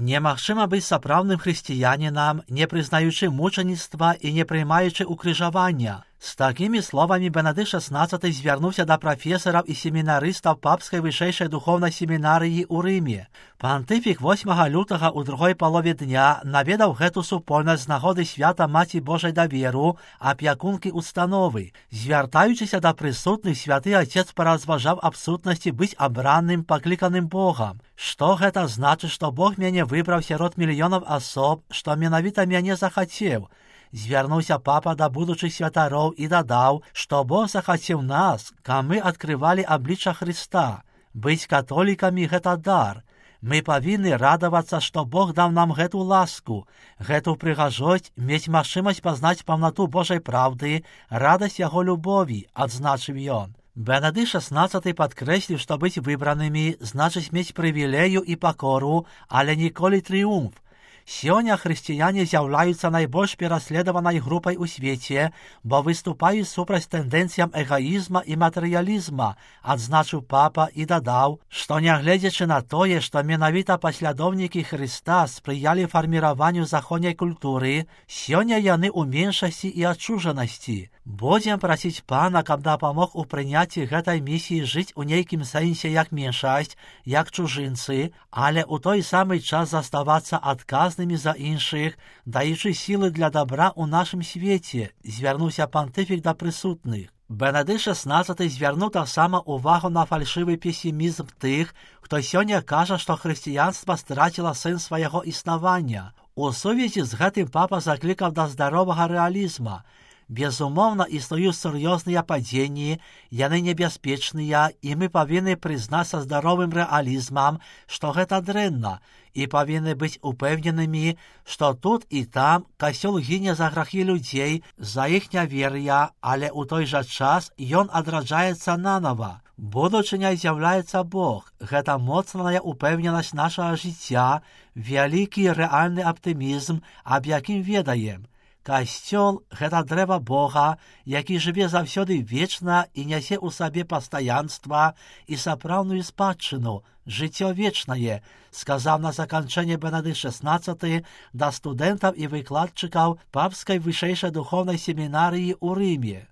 Немагчыма быць сапраўдным хрысціянінам, не прызнаючы мучаніцтва і не приймаючи укрыжавання. З такімі словамі Бенедыкт XVI звярнуўся да прафесараў і семінарыстаў папскай вышэйшай духоўнай семінарыі ў Рыме. Пантыфік 8 лютага ў другой палове дня наведаў гэту супольнасць з нагоды свята Маці Божай даверу, апякункі установы. Звяртаючыся да прысутных, святы Отец паразважаў аб сутнасці быць абраным, пакліканым Богам. Што гэта значыць, што Бог мяне выбраў сярод мільёнаў асоб, што менавіта мяне захацеў? Звярнуўся папа да будучых святароў і дадаў, што Бог захацеў нас, каб мы адкрывалі аблічча Хрыста. Быць католікамі – гэта дар. Мы павінны радавацца, што Бог даў нам гэту ласку, гэту прыгажосць, мець магчымасць пазнаць паўнату Божай праўды, радасць яго любові, адзначыў ён. Бенедыкт XVI падкрэсліў, што быць выбранымі значыць мець прывілею і пакору, але ніколі трыумф. Сёння хрысціяне з'яўляюцца найбольш пераследаванай групай у свеце, бо выступаюць супраць тэндэнцыям эгаізма і матэрыялізма, адзначыў папа і дадаў, што нягледзячы на тое, што менавіта паслядоўнікі Хрыста спрыялі фарміраванню заходняй культуры, сёння яны ў меншасці і адчужанасці. Будзем прасіць Пана, каб дапамог у прыняцці гэтай місіі жыць у нейкім сэнсе як меншасць, як чужынцы, але ў той самы час заставацца адказнымі за іншых, даючы сілы для дабра ў нашым свеце, звярнуўся пантыфік да прысутных. Бенедыкт XVI звярнуў таксама увагу на фальшывы песімізм тых, хто сёння кажа, што хрысціянства страціла сэнс свайго існавання. У сувязі з гэтым папа заклікаў да здаровага рэалізма. Безумоўна, існуюць сур'ёзныя падзенні, яны небяспечныя, і мы павінны прызнаць са здаровым рэалізмам, што гэта дрэнна, і павінны быць упэўненымі, што тут і там касцёл гіне за грахі людзей, за іх нявер'я, але ў той жа час ён адраджаецца нанава. Будучыняй з'яўляецца Бог. Гэта моцная упэўненасць нашага жыцця, вялікі рэальны аптымізм, аб якім ведаем. Касцёл – гэта дрэва Бога, які жыве заўсёды вечна і нясе ў сабе пастаянства і сапраўдную спадчыну, жыццё вечнае, сказаў на заканчэнне Бенедыкт XVI да студэнтаў і выкладчыкаў папскай вышэйшай духоўнай семінарыі ў Рыме.